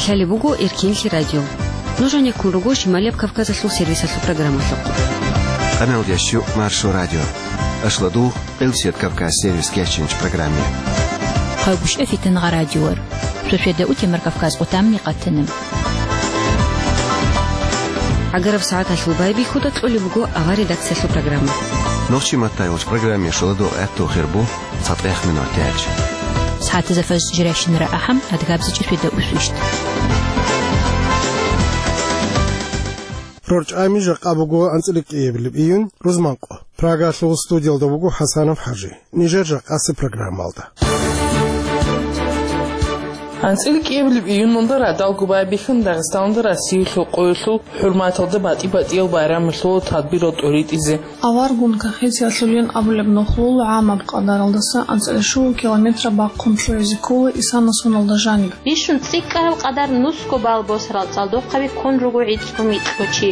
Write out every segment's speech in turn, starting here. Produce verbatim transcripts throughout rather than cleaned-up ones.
Лъалеб буго Эркенлъи радио. Нуж гьанеккун руго Шималияб Кавказалъул сервисалъул программалъухъ. Къаналдиящу Маршо радио. Ашладу Элсият Кавказ сервис кечинч программе. Хъагушев Фитнагъа радиор. Шошеда утемар Кавказ отамни къатана. Агараб сагӀаталъул байбихьуда кьолеб буго авар редакциялъул программа. Нохчи маттайулч программе шуладу гӀатту хирбу. ЦатӀех минут тяч. СагӀатазда фажр жиращинара ахӀам, адгабзичӀеб шведа усвищ. РорчӀами жакъа буго анцӀила кӀиабилеб июнь, рузманкъо. Прагалъул студиялда буго ХӀасанов ХӀажи. Нижер жакъасеб программалда. АнцӀила кӀиабилеб июньалда радалго байбихьун Дагъистаналда Россиялъул къоялъул хӀурматалда батӀи-батӀиял байрамалъул тадбирал тӀоритӀизе. Аваргун кахетиялъулин абулеб нухлул гӀамаб къадаралдаса анцӀила щуго километра бахъун лъугӀизе ккола Исана соналда жаниб. Бищун цӀикӀкӀараб къадар нусго бал босарал цӀалдохъаби ккун руго гӀицӀго-микьго чи.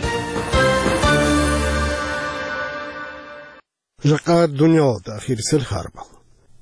Жакъа дуниялалда ахирисел харбал.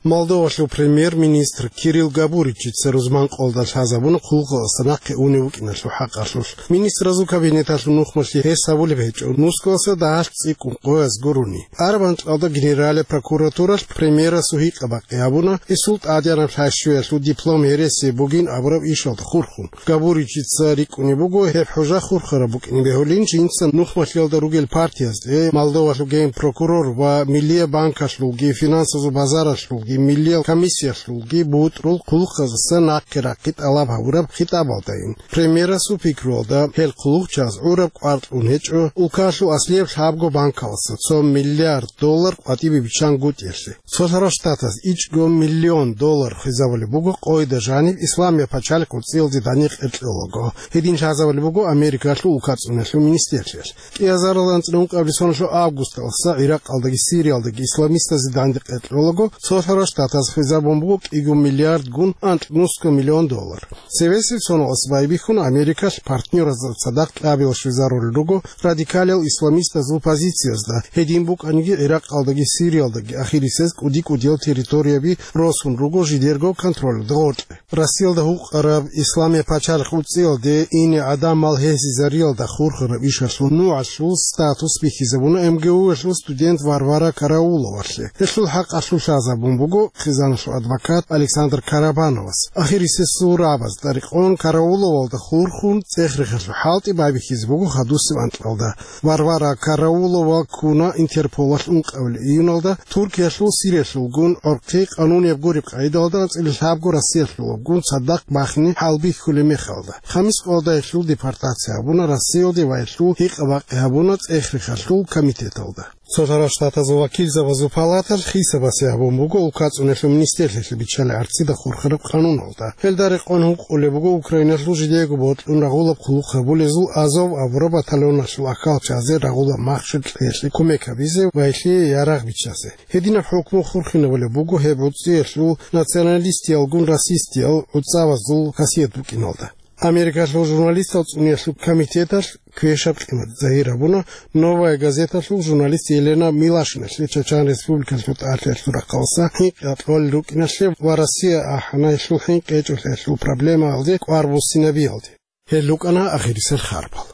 Молдовалъул премьер-министр Кирилл Габуричица рузманкъоялда лъазабуна хъулухъалдаса нахъе унев вукӀиналъул хӀакъалъулъ. Министразул кабинеталъул нухмалъи гьес гьабулеб гьечӀо нусгоялдаса дагьалъ цӀикӀкӀун къояз гурони. Араб анкьалда Генералияб прокуратуралъ премьерасул гьикъа-бакъи гьабуна, гьесул тӀадегӀанаб лъайщуялъул диплом гьересияб бугин абураб ишалда хурхун. Габуричица рикӀкӀунеб буго гьеб хӀужа хурхараб букӀине бегьулин жинца нухмалъиялда ругел партиязде, Молдовалъул генпрокурор ва Миллияб банкалъулги, финансазул базаралъулги, Миллиял комиссиялъулги бутӀрул хъулухъаздаса нахъе рахъи тӀалаб гьабураб хитӀабалдайин. Премьерасул пикруялда, гьел хъулухъчияз гӀураб кӀвар кьун гьечӀо улкалъул аслияб лъабго банкалдаса цо миллиард доллар къватӀибе биччангутӀиялъе. Цолъарал Штатаз ичӀго миллион доллар хвезабулеб буго къойда жаниб Исламияб пачалихъ уцӀиялде дандекъи кьолаго. Гьедин лъазабулеб буго Америкалъул улкацӀуналъул министрлъиялъ. КӀиазарал анцӀила ункъабилеб соналъул августалдаса ГӀиракъалдаги Сириялдаги исламистазе дандекъи кьолаго Цолъарал Штатаз хвезабун буго кӀиго миллиардгун анкьнусго миллион доллар. Цевесеб соналдаса байбихьун Америкалъ партнёразда цадахъ кьабилал щвезарулел руго радикалиял исламистазул позициязда, гьедин букӀаниги ГӀиракъалдаги Сириялдаги ахирисез кӀуди-кӀудиял территорияби росун руго жидерго контролалда гъоркье. Россиялда гьукъараб Исламияб пачалихъ уцӀиялде ине гӀадамал гьезизариялда хурхараб ишалъул нугӀалъул статус бихьизабуна МГУ-ялъул студент Варвара Карауловалъе. Гьелъул хӀакъалъулъ лъазабун буго хъизаналъул адвокат Александр Карабановас. Ахирисез сурабазда рекъон Карауловалда хурхун цӀех-рехалъул хӀалтӀи байбихьизе буго хадусеб анкьалда. Варвара Караулова ккуна Интерполалъ ункъабилеб июналда Туркиялъул Сириялъулгун гӀорхъи къанунияб гуреб къагӀидалда анцӀила лъабго Россиялъулабгун цадахъ бахине хӀалбихьулеб мехалда. Хамис къоялда гьелъул депортация гьабуна Россиялде ва гьелъул гьикъа-бакъи гьабуна цӀех-рехалъул комитеталда. Цолъарал Штатазул вакилзабазул палаталъ хисабасе гьабун буго улкацӀуналъул министрлъиялъе биччалел гӀарцида хурхараб къануналда. Гьелда рекъон гьукъулеб буго Украиналъул жидеего бокьун рагъулаб хъулухъ гьабулезул Азов абураб батальоналъул ахьалчазе рагъулаб махщел кьеялъе кумек гьабизе ва гьелъие ярагъ биччазе. Гьединаб хӀукму хурхинабулеб буго гьеб гӀуцӀиялъул националистиялгун расистиял гӀуцӀавазул хасият букӀиналда. Америкалъул журналистал цӀуниялъул комитеталъ квешаб къимат загьир гьабуна «Новая газеталъул» журналист Елена Милашиналъе Чачан Республикалъул тӀалъиялъул рахъалдаса хӀинкъи кьолел рукӀиналъе ва Россия ахӀана гьелъул хӀинкъи гьечӀолъиялъул проблемаялде кӀвар буссинабиялде. Гьел рукӀана ахирисел харбал.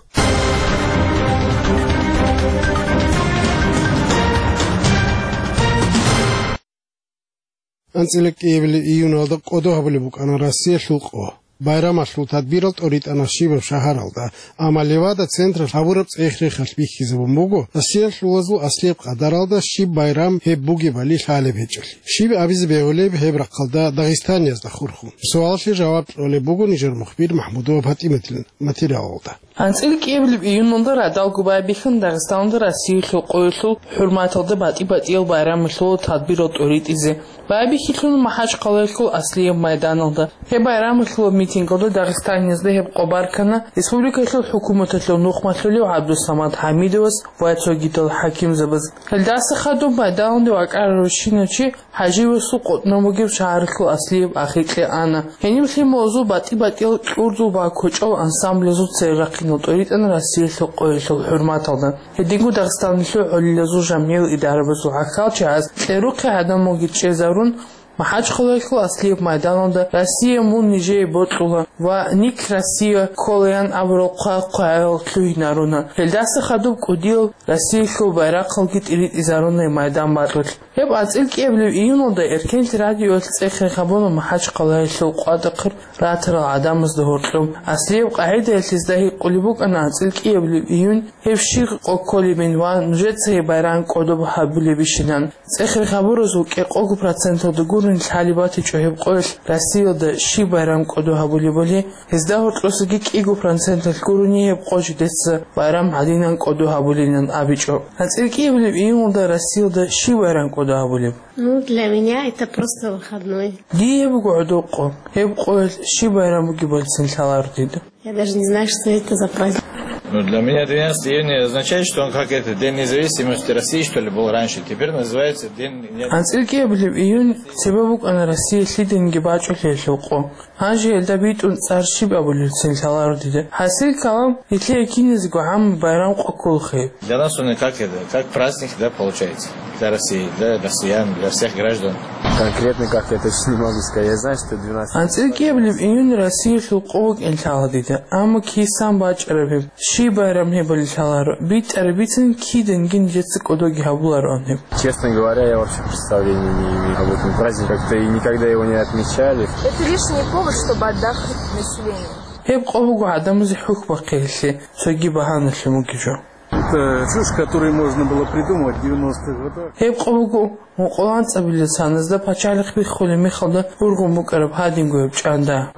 АнцӀила кӀиабилеб июналда кӀодо гьабулеб букӀана Россиялъул къо. Байрамалъул тадбирал тӀоритӀана щибаб шагьаралда, амма Левада централъ гьабураб цӀех-рехалъ бихьизабун буго Россиялъулазул аслияб къадаралда щиб байрам гьеб бугебали лъалеб гьечӀолъи. Щиб абизе бегьулеб гьеб рахъалда дагъистаниязда хурхун? Суалалъе жаваб кьолеб буго нижер мухбир МахӀмудова ПатӀиматил материалалда. АнцӀила кӀиабилеб июналда радалго байбихьун Дагъистаналда Россиялъул къоялъул хӀурматалда батӀи-батӀиял байрамалъул тадбирал тӀоритӀизе. Байбихьилъун МахӀачхъалаялъул аслияб майданалда. Гьеб байрамалъул митингалда Дагъистаниязда гьеб къо баркана республикалъул хӀукуматалъул нухмалъулев ГӀабдусамад ХӀамидовас ва цогидал хӀакимзабаз. Гьелдаса хадуб майданалде вакӀарарав щинав чи ХӀаживасул къотӀнав бугеб шагьаралъул аслияб ахикье ана. Гьениб лъималазул батӀи-батӀиял кьурдул ва кочӀал ансамблазул церехъинал тӀоритӀана Россиялъул къоялъул хӀурматалда. Гьединго Дагъистаналъул гӀолилазул жамгӀиял идарабазул гӀахьалчагӀаз кьерухъе гӀадамалги чӀезарун, МахӀачхъалаялъул аслияб майданалда «Россия мун нижее бокьула» ва «Ник Россия кколаян» абурал хъвай-хъваял лъугьинаруна. Гьелдаса хадуб кӀудиял Россиялъул байрахъалги тӀиритӀизаруна майдан бакьулъ. Гьеб анцӀил кӀиабилеб июналда Эркенлъи радиоялъ цӀехе гьабуна МахӀачхъалаялъул къватӀахъе ратарал гӀадамазда гьоркьоб. Аслияб къагӀидаялъ гьезда гьикъулеб букӀана анцӀил кӀиабилеб июнь гьеб щиб къо кколебин ва нужецаги байрам кӀодоб гьабулебищинан. ЦӀехе гьабуразул кӀикъого проценталда гурони лъалеб батичӀо гьеб къоялъ Россиялда щиб байрам кӀодо гьабулебали, гьезда гьоркьосаги кӀиго проценталъ гурони гьеб къо жидеца байрам гьадинан кӀодо гьабулилан абичӀо. АнцӀил кӀиабилеб июналда Россиялда щиб байрам кӀодо гьабулеб? Ну, для меня это просто выходной. Дие буго гӀодоб къо. Гьеб къоялъ щиб байрам бугебалцин лъаларо дида. Я даже не знаю, что это за праздник. Ну, для меня тринадцатого июня означает, что он как это, День независимости России, что ли, был раньше. Теперь называется День не- АнцӀил кӀиабилеб июнь цебе букӀана Россия лъиданиги бачӀулъиялъул къо. Гьанже гьелда битӀун цӀар щиб абулелцин лъаларо дида. ХӀасил калам, гьелъие киназего гӀаммаб байрам къо кколаха гьеб. Для нас он как это, как праздник, да, получается. Для России, для россиян, для всех граждан. Конкретно как я точно не могу сказать. Я знаю, что двенадцатого. АнцӀил кӀиабилеб июнь Россиялъул къо букӀин лъала дида, амма кисан бачӀараб гьеб, щиб байрам гьебали лъаларо, битӀараб бицин киданги нижеца кӀодоги гьабулароан гьеб. Честно говоря, я вообще представления не имею об этом празднике. Как-то и никогда его не отмечали. Это лишний повод, чтобы отдохнуть населению. Гьеб къо буго гӀадамазе хӀухь бахъиялъе цоги багьаналъун бугеб жо. Это чушь, которую можно было придумать в девяностых годах. Гьеб къо буго мукъуланцӀабилел саназда пачалихъ биххулеб мехалда бургъун букӀараб гьадинго гьеб чӀанда.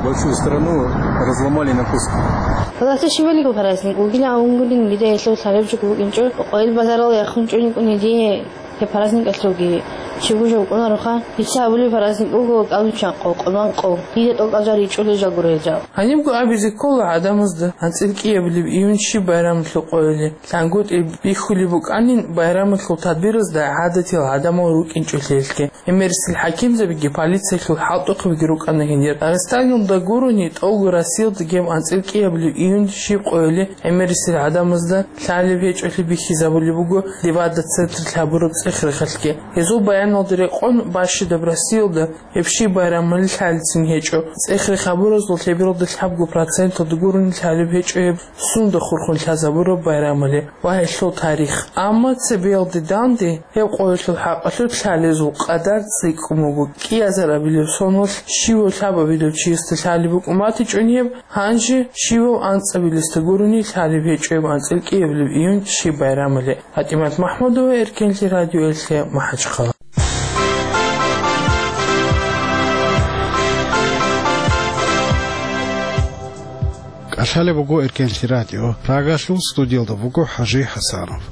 Большую страну разломали на куски. Гьаласе щибалиго праздник вугилан авунгулин, дида гьелъул лъалеб жо букӀинчӀо, къойил базарал яхун чӀуникӀуни дие. Гьеб праздникалъулги щибго жо букӀунароха. Дица абулеб праздник буго кӀалбиччан къо, къолбан къо. Дида тӀокӀал жал ричӀулел жал гуро гьел жал. Гьанибго абизе ккола гӀадамазда анцӀил кӀиабилеб июнь щиб байрамалъул къойилан лъангутӀи бихьулеб букӀанин, байрамалъул тадбиразда гӀадатиял гӀадамал рукӀинчӀолъиялъги. ГӀемерисел хӀакимзабиги полициялъул хӀалтӀухъабиги рукӀана гьенир. Дагъистаналда гурони, тӀолго Россиялдаги гьеб анцӀил кӀиабилеб июнь щиб къойилан гӀемерисел гӀадамазда лъалеб гьечӀолъи бихьизабулеб буго Левада централъ гьабураб цӀех-рехалъги. Гьезул баяналда рекъон, бащидаб Россиялда гьеб щиб байрамали лъалецин гьечӀо. ЦӀех-рех гьабуразул лъебералда лъабго проценталда гурони лъалеб гьечӀо гьеб сунда хурхун лъазабураб байрамали ва гьелъул тарих. Амма цебеялде данде гьеб къойилъул хӀакъалъулъ лъалезул къадар цӀикӀкӀун буго. КӀиазарабилеб соналъ щивав лъабабилев чиясда лъалеб букӀун батичӀони гьеб, гьанже щивав анцӀабилесда гурони лъалеб гьечӀо гьеб анцӀил кӀиабилеб июнь щиб байрамали. ПатӀимат МахӀмудова, Эркенлъи радиоялъе, МахӀачхъала. КӀалъалеб буго Эркенлъи радио. Прагалъул студиялда вуго ХӀажи ХӀасанов.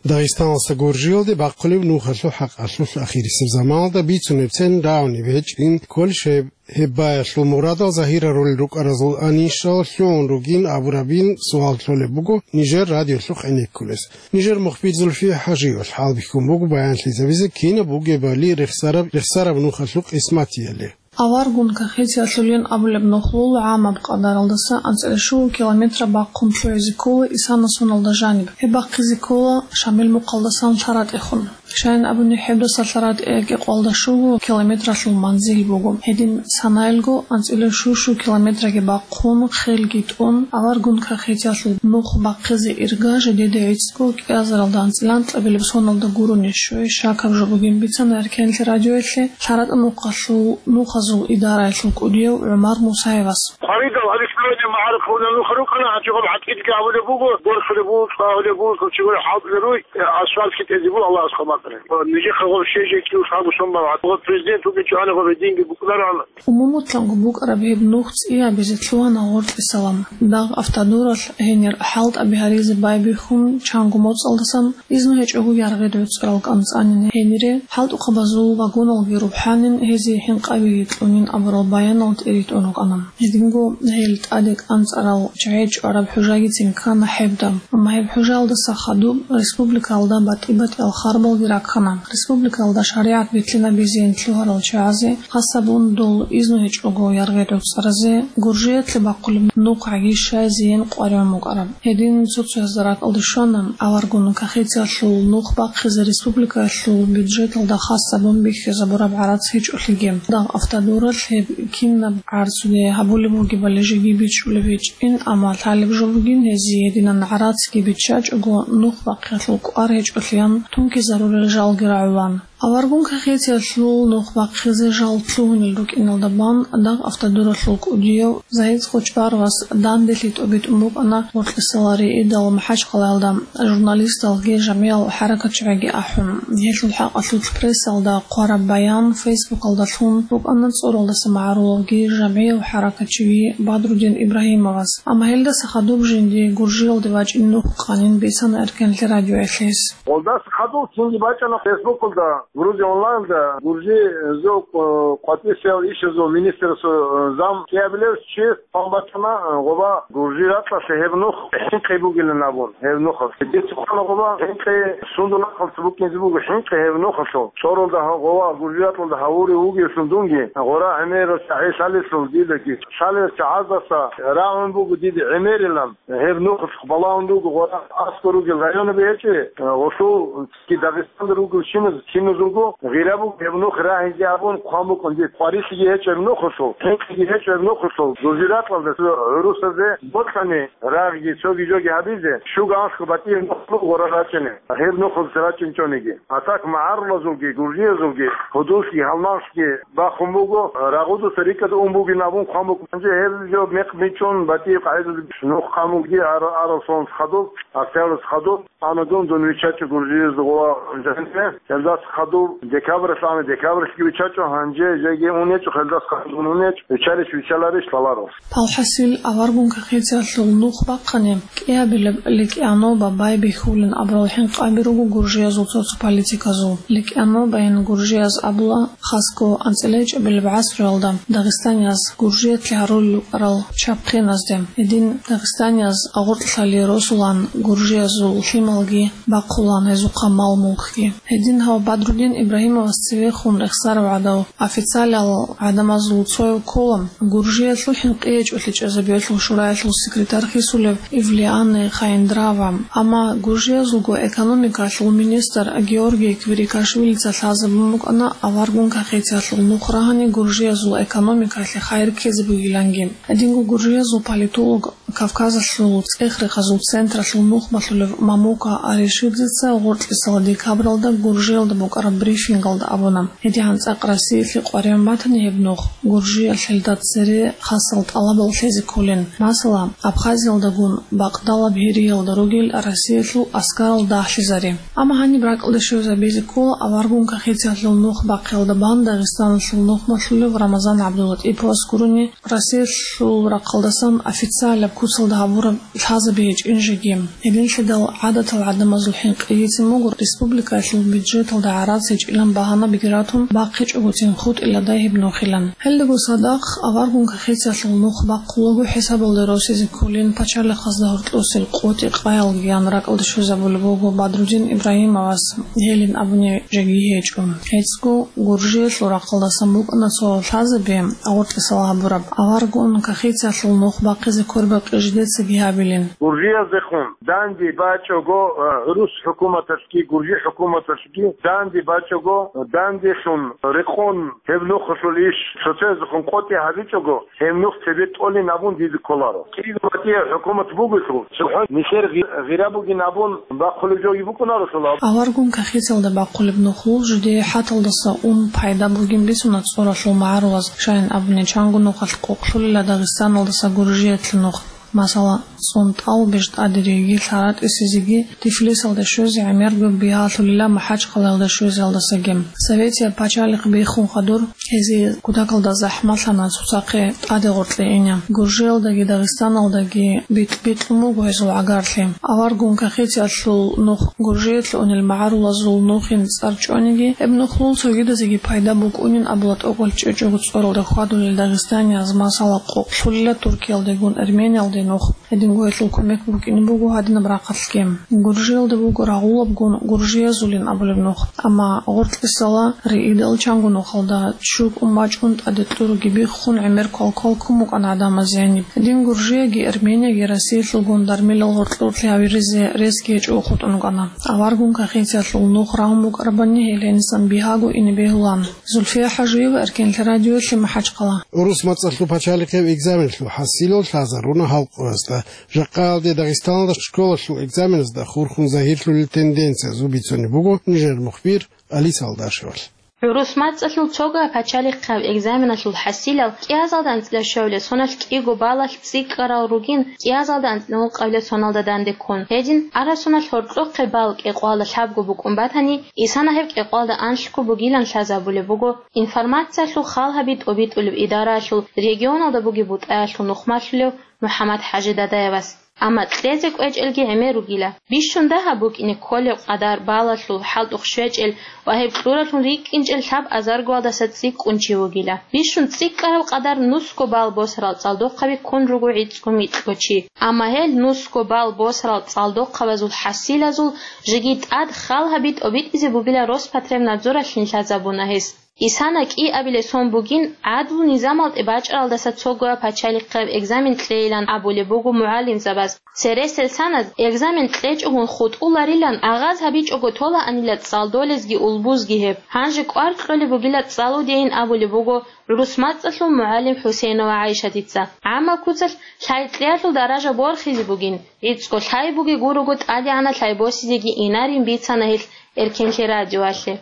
Дагъистаналдаса Гуржиялде бахъулеб нухалъул хӀакъалъулъ ахирисеб заманалда бицунебцин рагӀунеб гьечӀин кколищ гьеб, гьеб баялъул мурадал загьирарулел рукӀаразул анищал лъугӀун ругин абурабин суал кьолеб буго нижер радиолъухъ гӀенеккунес. Нижер мухбир Зульфия ХӀажиевалъ хӀалбихьун буго баянлъизабизе кинаб бугебали рехсараб, рехсараб нухалъул къисматияли. Аваргун Кахетиялъулин абулеб нухлул гӀамаб къадаралдаса анцӀила щуго километра бахъун лъугӀизе ккола Исана соналда жаниб. Гьеб бахъизе ккола Шамил мухъалдасан ЛъаратӀехун. Щайин абуни, гьебдаса ЛъаратӀе кӀикъоялда щуго километралъул манзил буго. Гьедин санаялго анцӀила щу-щу километраги бахъун, хелги тӀун, аваргун Кахетиялъул нух бахъизе ирга жидеда гӀицӀго кӀиазаралда анцӀила анкьабилеб соналда гурони щвей щакаб жо бугин бицана Эркенлъи радиоялъе ЛъаратӀа нухалъул нухазул идараялъул кӀудияв ГӀумар Мусаевас. Хъваридал гьаб исламияб магӀарухъ гьабулел нух рукӀана, гьанже гьаб гӀакъидаги гьабулеб буго, борхулеб буго, цӀагьулеб буго, хъулчи гури хӀалтӀулел руй, асфальтги тӀезе буго, Аллагьас хъван бакӀалде. Нижехъа гьаб щей-жей кӀиго лъабго сон бан, гьаб президент вугинчӀо гьаниб гьаб гьединги букӀунаран. Умумулъанго букӀараб гьеб нух цӀиябизе лъугьана гъоркьисалан. Дагъ автодоралъ гьенир хӀалтӀаби гьаризе байбихьун чанго моцӀалдасан, изну гьечӀого яргъи доцӀурал кӀанцӀанин гьенире, хӀалтӀухъабазул вагоналги рухӀанин, гьезие хӀинкъабиги кьунин абурал баянал тӀиритӀун рукӀана. Гьединго гьел тӀаде кӀанцӀарал чагӀи чӀвараб хӀужагицин ккана гьебда. Амма гьеб хӀужаялдаса хадуб республикаялда батӀи-батӀиял харбалги раккана. Республикаялда шаригӀат битӀинабизейин лъугьарал чагӀазе, хасабун дол изну гьечӀого яргъи гӀуцӀаразе, Гуржиялъе бахъулеб нухъгӀаги щайзейин къваригӀун букӀараб. Гьедин цо-цоязда ракӀалде щвана аваргун кахетиялъул нух бахъизе республикаялъул бюджеталда хасабун бихьизабураб гӀарац гьечӀолъиги. Дагъ автодоралъ гьеб кинаб гӀарцуде гьабулеб бугебали жеги бичӀчӀулеб гьечӀин, амма лъалеб жо бугин гьезие гьединан гӀарацги биччачӀого нух бахъиялъул кӀвар гьечӀолъиян тункизарулел жалги рагӀулан. Аваргун кахетиялъул нух бахъизе жал лъугьунел рукӀиналда бан дагъ автодоралъул кӀудияв Загьид Къочбаровас данделъи тӀобитӀун букӀана Гъоркьисалари идал МахӀачхъалаялда журналисталги жамгӀиял хӀаракатчияги ахӀун. Гьелъул хӀакъалъулъ прессалда хъвараб баян, Фейсбукалда лъун букӀана цӀоралдаса магӀарулавги жамгӀияв хӀаракатчиги Бадрудин Ибрагьимовас. Амма гьелдаса хадуб жинди Гуржиялде вачӀин нух къанин бицана эркенлъи радиоялъ гьес. Гъолдаса хадуб цинги бачӀана Фейсбукалда, Грузия онлайнда, Гуржи, э, зо, э, къватӀисел ишазул министрасул, э, зам кӀиабилев чи хъван бачӀана, э, гъоба Гуржи ракьалъе гьеб нух хӀинкъи бугилан абун, гьеб нухалъ. Дица хъвана гъоба хӀинкъи сундул рахъалъ букӀинзе буго, хӀинкъи гьеб нухалъул. ЦӀоралда гъо-, гъоба Гуржи ракьалда гьавури вугевлъун дунги, гъора гӀемерал чагӀи лъалелъул дидаги, лъалел чагӀаздаса рагӀун буго дида гӀемерилан. Гьеб нух балагьун руго гъора аскӀор ругел районаби гьечӀеб, гъолъул ки Дагъистанда ругел чиназ-, чиназулго гъира буго гьеб нух рагьизе абун хъван букӀун дир. Къварилъиги гьечӀеб нухалъул, хӀинкъиги гьечӀеб нухалъул, Гуржи ракьалда цо гӀурусазе бокьани рагъги цоги жоги гьабизе, щуго анлъго батӀияб нух буго гъора рачӀине, гьеб нухалъ рачӀинчӀониги. А так магӀарулазулги, гуржиязулги, гьудуллъги, гьалмагълъги бахун буго, рагъудаса рикӀкӀад ун бугин абун хъван букӀун. Гьанже гьеб жо мекъ бичӀчӀун, батӀияб къагӀидаялъ нух хъван бугин ар-, арал сонас хадуб, октябрьас хадуб, ана дун, дун виччачӀо Гуржиязда гъоба жанибе, гьелдаса хадуб декабрьалъ ана, декабрьалъги виччачӀо, гьанже жеги ун гьечӀо, гьелдаса хадуб ун гьечӀо, виччарищ виччаларищ лъаларо. Палхасил аваргун кахетиялъул нух бахъани, кӀиабилеб ликӀаноба байбихьулин абурал хӀинкъаби руго гуржиязул цо-цо политиказул. ЛикӀанобайин гуржияз абула, хасго анцӀила гьечӀебилеб гӀасруялда дагъистанияз Гуржиялъе гьарулел рукӀарал чапхъиназде. Гьедин дагъистанияз гъоркьлъали росулан гуржиязул лъималги бахъулан, гьезухъа мал-мулкги. Гьедин гьав Бадрудин Ибрагьимовас цевехун рехсарав гӀадав, официалал гӀадамазул цояв ккола, Гуржиялъул хӀинкъи гьечӀолъи чӀезабиялъул шураялъул секретарь хисулев Ивлиани Хаиндрава. Амма гуржиязулго экономикалъул министр Георгий Квирикашвилица лъазабун букӀана аваргун кахетиялъул нух рагьани гуржиязул экономикалъе хайир ккезе бугиланги. Гьединго гуржиязул политолог, Кавказалъул цӀех-рехазул централъул нухмалъулев Мамука Аришидзеца гъоркьисала декабралда Гуржиялда букӀараб брифингалда абуна, гьедигӀан цӀакъ Россиялъе къваригӀун батани гьеб нух, Гуржиялъ гьелда цере хасал тӀалабал лъезе кколин. Масала, Абхазиялдагун бакъдалаб гьериялда ругел Россиялъул аскарал дагьлъизари. Амма гьаниб ракӀалде щвезабизе ккола аваргун кахетиялъул нух бахъиялда бан Дагъистаналъул нухмалъулев Рамазан ГӀабдулатӀиповас гурони, Россиялъул рахъалдасан официалаб куцалда гьабураб лъазаби гьечӀин жеги. Гьединлъидал гӀадатал гӀадамазул хӀинкъигицин буго республикаялъул бюджеталда гӀарац гьечӀилан багьанабиги ратун бахъичӀогоцин хутӀиладай гьеб нухилан. Гьелдаго цадахъ аваргун кахетиялъул нух бахъулаго хӀисабалде росизе кколин пачалихъазда гьоркьосел къотӀи-къаялгиян ракӀалде щвезабулеб буго Бадрудин Ибрагьимовас, гьелин абуни жеги гьечӀо. ГьецӀго Гуржиялъул рахъалдасан букӀана цо лъазаби, гъоркьисал гьабураб, аваргун кахетиялъул нух бахъизе квербакъи жидецаги гьабилин. Гуржияздехун данде бачӀого, э, гӀурус хӀукуматалъги, гуржи хӀукуматалъги данде бачӀого, дандехун рекъон гьеб нухалъул иш цоцаздехун къотӀи гьабичӀого, гьеб нух цебе тӀолин абун дида кколаро. КӀиго батӀияб хӀукумат бугелъул, цохӀо нилъер гъи-, гъира бугин абун бахъулеб жоги букӀунарелъул. Аваргун кахетиялда бахъулеб нухлул жидее хӀаталдаса ун пайда бугин бицуна цӀоралъул магӀарулаз, щайин абуни чанго нухалъ къокълъулила Дагъистаналдаса Гуржиялъе нух. Масала, цӀун тӀалаб бищ тӀадериги лъаратӀисезеги Тифлисалда щвезе гӀемерго бигьалъулила МахӀачхъалаялда щвезеялдасаги. Советияб пачалихъ биххун хадур, гьезие кутакалда захӀмалъана цоцахъе тӀаде гъоркье ине. Гуржиялдаги Дагъистаналдаги битӀ-битӀун буго гьезул гӀагарлъи. Аваргун кахетиялъул нух Гуржиялъе унел магӀарулазул нухин цӀар чӀваниги, гьеб нухлъун цогидазеги пайда букӀунин абула тӀокӀал чӀечӀого цӀоралда хьвадулел дагъистанияз, масала, къокълъулила Туркиялдегун Эрмениялде нух. Гьединго гьелъул кумек букӀине буго гьадинаб рахъалъги. Гуржиялда буго рагъулабгун гуржиязулин абулеб нух, амма гъоркьисала риидал чанго нухалда чуркӀун бачӀун тӀаде кьуруги биххун гӀемер квалквал ккун букӀана гӀадамаз гьениб. Гьедин Гуржияги Эрменияги Россиялъулгун дармилал гъоркьорлъи гьавиризе ресги гьечӀого хутӀун рукӀана. Аваргун кахетиялъул нух рагьун букӀарабани гьел гьенисан бигьаго ине бегьулан. Зульфия ХӀажиева, Эркенлъи радиоялъе, МахӀачхъала. ГӀурус мацӀалъул пачалихъияб экзаменлъул хӀасилал лъазаруна халкъалда. Жакъаялде Дагъистаналда школалъул экзаменазда хурхун загьирлъулел тенденциязул бицунеб буго нижер мухбир Алиса Алдашевалъ. ГӀурус мацӀалъул цогояб пачалихъияб экзаменалъул хӀасилал кӀиазалда анцӀила щуабилеб соналъ кӀиго балалъ цӀикӀкӀарал ругин, кӀиазалда анцӀила ункъабилеб соналда данде ккун. Гьедин, араб соналъ гьоркьохъеб бал кӀикъоялда лъабго букӀун батани, исана гьеб кӀикъоялда анлъго бугилан лъазабулеб буго информациялъул хал гьаби тӀобитӀулеб идараялъул регионалда бугеб бутӀаялъул нухмалъулев МухӀаммад-ХӀажи Дадаевас. Амма кьезе кӀвечӀелги гӀемер ругила. Бищун дагьаб букӀине кколеб къадар балалъул хӀалтӀухъ щвечӀел ва гьеб кьуралъун рикӀкӀинчӀел лъаб азаргоялдаса цӀикӀкӀун чи вугила. Бищун цӀикӀкӀараб къадар нусго бал босарал цӀалдохъаби ккун руго гӀицӀго-микьго чи. Амма гьел нусго бал босарал цӀалдохъабазул хӀасилазул жеги тӀад хал гьаби тӀобитӀизе бугила Роспотребнадзоралъин лъазабуна гьес. Исана кӀиабилеб сон бугин, гӀадлу низамалде бачӀаралдаса цогояб пачалихъияб экзамен кьейилан абулеб буго мугӀалимзабаз. Цересел саназ экзамен кьечӀогун хутӀуларилан агъаз гьабичӀого толаанила цӀалдолезги улбузги гьеб. Гьанже кӀвар кьолеб бугила цӀалудейин абулеб буго гӀурус мацӀалъул мугӀалим ХӀусейнова ГӀайшатица. ГӀаммал куцалъ лъай кьеялъул даража борхизе бугин, гӀицӀго лъай бугеб гурого тӀадегӀанаб лъай босизеги инарин бицана гьелъ Эркенлъи радиоялъе.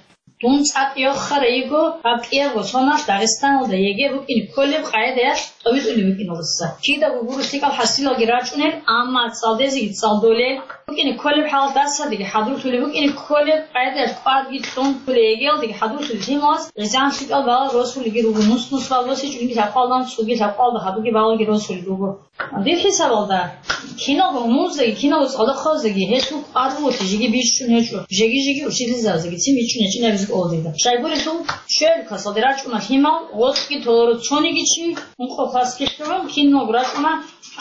Дун цӀакъ йохарай йиго гьаб кӀиябго соналъ Дагъистаналда ЕГЭ букӀине кколеб къагӀидаялъ тӀобитӀулеб букӀиналдаса. Кидаго гуро лъикӀал хӀасилалги рачӀунел, амма цӀалдезеги цӀалдолел. БукӀине кколеб хӀалалъ дарсалдеги хӀадурлъулеб, букӀине кколеб къагӀидаялъ кӀварги кьун, кколеб ЕГЭ-ялдеги хӀадурлъулел лъималаз гӀезегӀан лъикӀал балал росулелги руго, нус-нус балал росичӀониги лъабкъоялда, цӀуги лъабкъоялда хадуги балалги росулел руго. Дир хӀисабалда, киналго музеги, киналго цӀалдохъабаздаги гьелъул кӀвар бугелъи жеги бищун гьечӀо, жеги-жеги учительзабаздаги цин бичӀчӀун гьечӀин абизе кӀолдида. Щайгурелъул, щуяб классалде рачӀуна лъимал, гъоркьги толоро цониги чи, ункъо классги лъугӀун, киналго рачӀуна,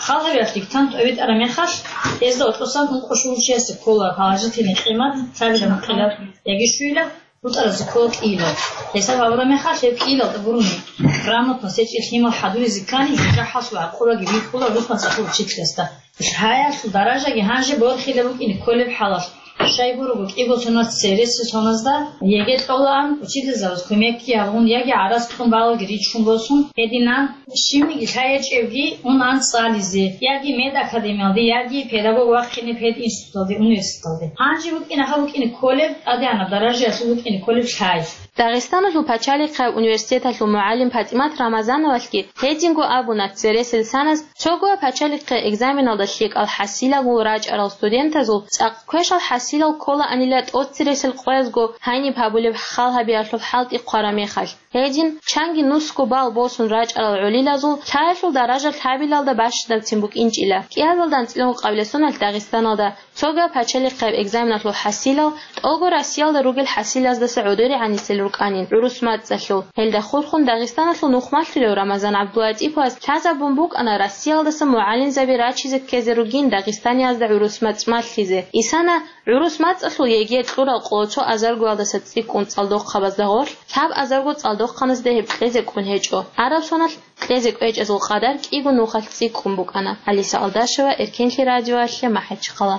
хал гьабиялъ диктант тӀобитӀараб мехалъ, гьезда гьоркьосан ункъо щугьурчиясе ккола положительный къимат, лъабилеб мукъилаб яги щуйилаб. БутӀаразе ккола кӀиилал. Гьесда гьабураб мехалъ, гьеб кӀиилалда гурони грамотно сечӀел лъимал хӀадуризе ккани, жужахӀалъул гӀакъубаги бихьула гӀурус мацӀалъул учительасда. Лъаялъул даражаги гьанже борхила букӀине кколеб хӀалалъ. Щайгурого кӀиго соналъ цересел соназда ЕГЭ кьолаан, учительзабаз кумекги гьабун, яги гӀарац кьун балалги ричун босун, гьединан Щибниги лъай гьечӀевги унан цӀализе, яги медакадемиялде, яги педагог вахъине пединституталде, университеталде. Гьанже букӀина гьаб букӀине кколеб, тӀадегӀанаб даражаялъул букӀине кколеб лъай. Дагъистаналъул пачалихъияб университеталъул мугӀалим ПатӀимат Рамазановалъги гьединго абуна, цересел саназ цогояб пачалихъияб экзаменалда лъикӀал хӀасилаго рачӀарал студентазул цӀакъ квешал хӀасилал кколаанила тӀоцересел къоязго гьаниб гьабулеб хал гьабиялъул хӀалтӀи хъвараб мехалъ. Гьедин, чанги нусго бал босун рачӀарал гӀолилазул лъаялъул даража лъабилалда бащадабцин букӀинчӀила. КӀиазалда анцӀила ункъабилеб соналъ Дагъистаналда цогояб пачалихъияб экзаменалъул хӀасилал тӀолго Россиялда ругел хӀасилаздаса гӀодорегӀанисел рукӀанин гӀурус мацӀалъул. Гьелда хурхун Дагъистаналъул нухмалъулев Рамазан ГӀабдулатӀиповас лъазабун букӀана Россиялдаса мугӀалимзаби рачизе ккезе ругин Дагъистаниязда гӀурус мацӀ малъизе. Исана ГӀурус мацӀалъул ЕГЭ кьурал къоло цо азаргоялдаса цӀикӀкӀун цӀалдохъабазда гъорлъ, лъаб азарго цӀалдохъаназда гьеб кьезе кӀун гьечӀо. Араб соналъ кьезе кӀвечӀезул къадар кӀиго нухалъ цӀикӀкӀун букӀана. Алиса Алдашева, Эркенлъи радиоялъе, МахӀачхъала.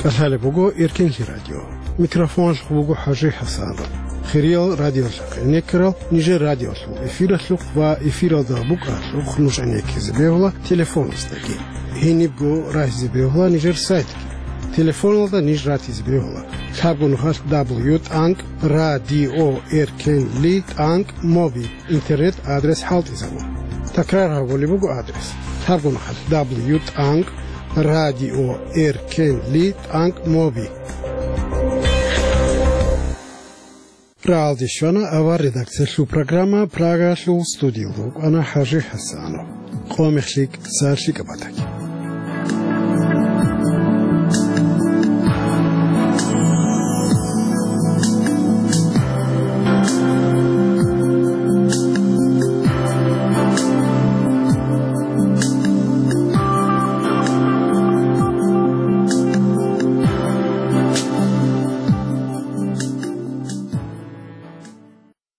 КӀалъалеб буго Эркенлъи радио. Микрофоналъухъ буго ХӀажи ХӀасанов. Хириял радиолъухъ гӀенеккарал нижер радиолъул эфиралъухъ ва эфиралда букӀаралъухъ нуж гӀенеккизе бегьула телефоназдаги. Гьенибго рагьизе бегьула нижер сайтги. Телефоналда ниж ратизе бегьула: лъабго нухалъ дабл ю тӀанкӀ радио эркенли тӀанкӀ моби интернет адрес хӀалтӀизабун. Такрар гьабулеб буго адрес: лъабгун хъалъ: дабл ю тӀанкӀ радио эр кей эл тӀанкӀ моби. Рагьалде щвана авар редакциялъул программа. Прагалъул студиялда вукӀана ХӀажи ХӀасанов. Къо мехлъи киса лъикӀаб батаги.